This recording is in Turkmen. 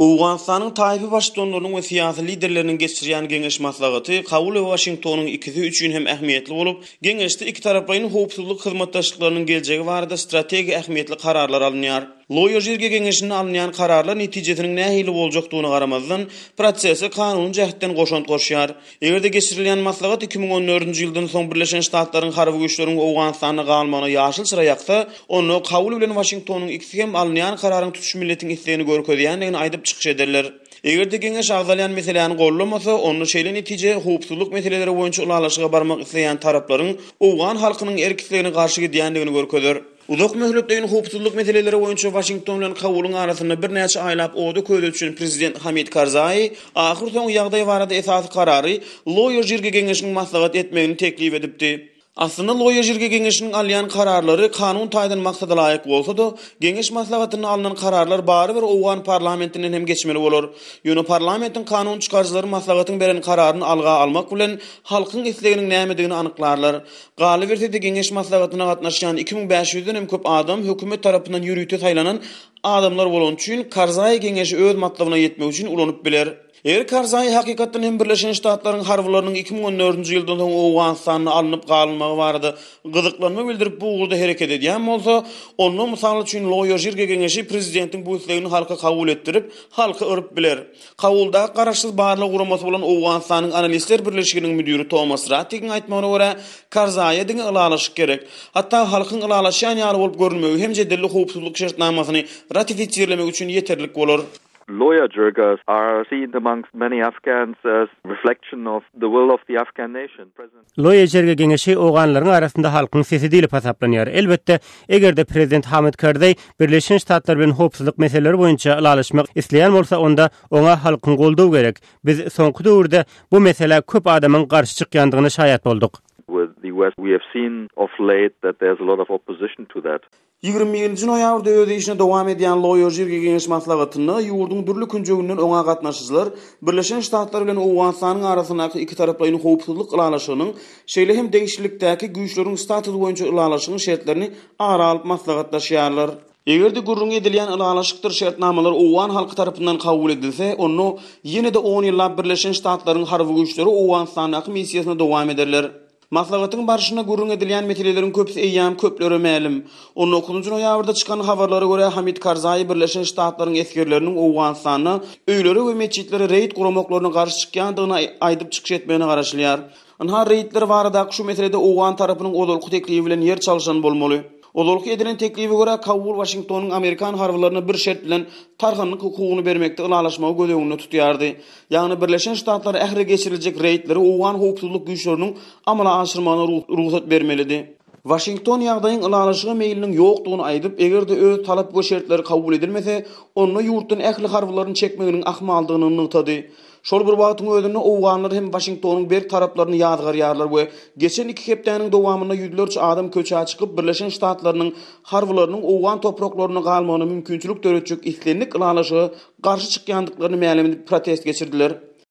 Owganystanyň taýpa baştutanlarynyň we syýasy liderleriniň geçirýän geňeş maslahaty Kabul we Waşingtonyň ikisi üçin hem ähmiýetli bolup, geňeşde ikitaraplaýyn howpsuzlyk hyzmatdaşlyklarynyň geljegi barada strategik ähmiýetli kararlar alynýar. Loýa Jirge geňeşinde alynýan kararlar netijesiniň nähili boljakdygyna garamazdan, prosese kanuny jähtden goşant goşýar. Eger-de geçirilýän maslahat 2014-nji ýyldan soň Birleşen Ştatlaryň harby güýçleriň Owganystanda galmagyna ýaşyl çyra ýaksa, onda Kabul bilen Waşingtonyň ikisi hem alynýan kararyň tutuş milletiň islegini görkezýändigini aýdyp çykyş ederler. Eger-de geňeş agzalýan meseläni gollamasa, onda şeýle netije howpsuzlyk meseleleri boýunça ylalaşyga barmak isleýän taraplaryň owgan halkynyň erk-islegine garşy gidýändigini görkezer. Uzak möhletleýin howpsuzlyk meseleleri boýunça Waşington bilen Kabulyň arasynda birnäçe aýlap oda-köze düşen prezident Hamid Karzai ahyrsoňy ýagdaý barada esasy karary Loýa Jirge geňeşiniň maslahat etmegini teklip edipdi. Aslynda Loýa Jirge geňeşiniň alýan kararlary kanun taýdan maksadalaýyk bolsa-da, geňeş maslahatynda alnan kararlar barybir owgan parlamentinden hem geçmeli bolar. Ýöne parlamentiň kanun çykaryjylary maslahatyň beren kararyny alga almak bilen halkyň isleginiň nämedigini anyklarlar. Galyberse-de, geňeş maslahatyna gatnaşýan 2500-den hem köp adam hökümet tarapyndan ýörite saýlanan adamlar bolany üçin, Karzaý geňeşi öz matlabyna ýetmek üçin ulanyp biler. Eger Karzaý hakykatdan hem Birleşen Ştatlaryň harbylarynyň 2014-nji ýyldan soň Owganystanda alnyp galynmagy barada gyzyklanma bildirip bu ugurda hereket edýän bolsa, onda, mysal üçin, Loýa Jirge geňeşi prezidentiň bu islegini halka kabul etdirip, halky yryp biler. Kabuldaky garaşsyz barlag guramasy bolan Owganystanyň Analistler birleşiginiň müdiri Tomas Rattigiň aýtmagyna görä, Karzaýa diňe ylalaşyk gerek. Hatda halkyň ylalaşýan ýaly bolup görünmegi hem jedelli howpsuzlyk şertnamasyny ratifisirlemek üçin ýeterlik bolar. Loya Jirgas are seen amongst many Afghans as reflection of the will of the Afghan nation. President. Loýa Jirga geňeşi owganlaryň arasynda halkyň sesi diýlip hasaplanýar. Elbetde, eger-de prezident Hamid Karzaý Birleşen Ştatlar bilen howpsuzlyk meseleleri boýunça ylalaşmak isleýän bolsa, onda oňa halkyň goldawy gerek. Biz soňky döwürde bu meselä köp adamyň garşy çykýandygyna şaýat bolduk. With the US we have seen of late that there's a lot of opposition to that. 21-nji noýabrda öz işini dowam edýän Loýa Jirge Geňeş maslahatynda ýurduň dürli künjeginden oňa gatnaşyjylar Birleşen Ştatlar bilen Owganystanyň arasyndaky ikitaraplaýyn howpsuzlyk ylalaşygynyň, şeýle hem degişlilikdäki güýçleriň statusy boýunça ylalaşygyň şertlerini ara alyp maslahatlaşýarlar. Eger-de gürrüňi edilýän ylalaşykdyr şertnamalar owgan halky tarapyndan kabul edilse, onda ýene-de on ýyllap Birleşen Ştatlaryň harby güýçleri Owganystandaky missiýasyny dowam ederler. Maslahatyň barşynda gürrüň edilýän meseleleriň köpüsi eýýäm köplere mälim. On dokuzynjy noýabrda çykan habarlara görä, Hamid Karzaý Birleşen Ştatlaryň esgerleriniň Owganystanda öýlere we metjitlere reýd guramaklaryna garşy çykýandygyny aýdyp çykyş etmegine garaşylýar. Ynha, reýdler baradaky şu meselede owgan tarapynyň ozalky teklibi bilen ýer çalşan bolmaly. Ozalky edilen teklibe görä, Kabul Waşingtonyň amerikan harbylaryna bir şert bilen tarhanlyk hukugyny bermekde ylalaşmagy göz öňünde tutýardy. Ýagny Birleşen Ştatlar ähli geçiriljek reýdleri owgan howpsuzlyk güýçleriniň amala aşyrmagyna rugsat bermelidi. Waşington ýagdaýyň ylalaşyga meýliniň ýokdugyny aýdyp, eger-de öz talap we şertleri kabul edilmese, onda ýurtdan ähli harbylaryny çekmeginiň ahmaldygyny nygtady. Şol bir wagtyň özünde owganlar hem Waşingtonyň berk taraplaryny ýazgarýarlar we geçen iki hepdäniň dowamynda ýüzlerçe adam köçä çykyp, Birleşen Ştatlarynyň harbylarynyň owgan topraklarynda galmagyna mümkinçilik döretjek islendik ylalaşyga garşy çykýandyklaryny mälim edip protest geçirdiler.